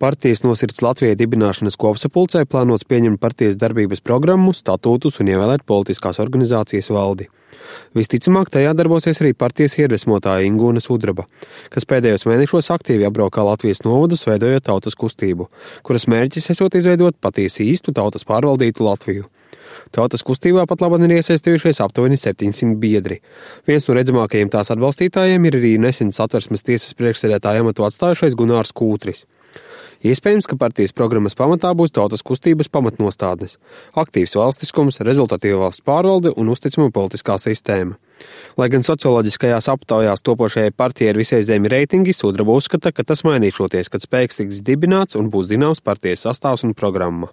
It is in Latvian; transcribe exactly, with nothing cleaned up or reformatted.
Partijas Nosirds Latvijai dibināšanas kopsapulcē plānots pieņemt partijas darbības programmu, statūtus un ievēlēt politiskās organizācijas valdi. Visticamāk, tajā darbosies arī partijas iedvesmotāja Ingūna Sudraba, kas pēdējos mēnešos aktīvi apbraukā Latvijas novadus, veidojot tautas kustību, kuras mērķis esot izveidot patiesi īstu tautas pārvaldītu Latviju. Tautas kustībā pat labāk ir iesaistījušies aptuveni septiņsimt biedri. Viens no redzamākajiem tās atbalstītājiem ir arī nesen Satversmes tiesas priekšsēdētāja amatu atstājušais Gunārs Kūtris. Iespējams, ka partijas programmas pamatā būs tautas kustības pamatnostādnes – aktīvs valstiskums, rezultatīva valsts pārvalde un uzticama politiskā sistēma. Lai gan socioloģiskajās aptaujās topošajai partijai ir visai zemi reitingi, Sudraba uzskata, ka tas mainīšoties, kad spēks tiks dibināts un būs zināms partijas sastāvs un programma.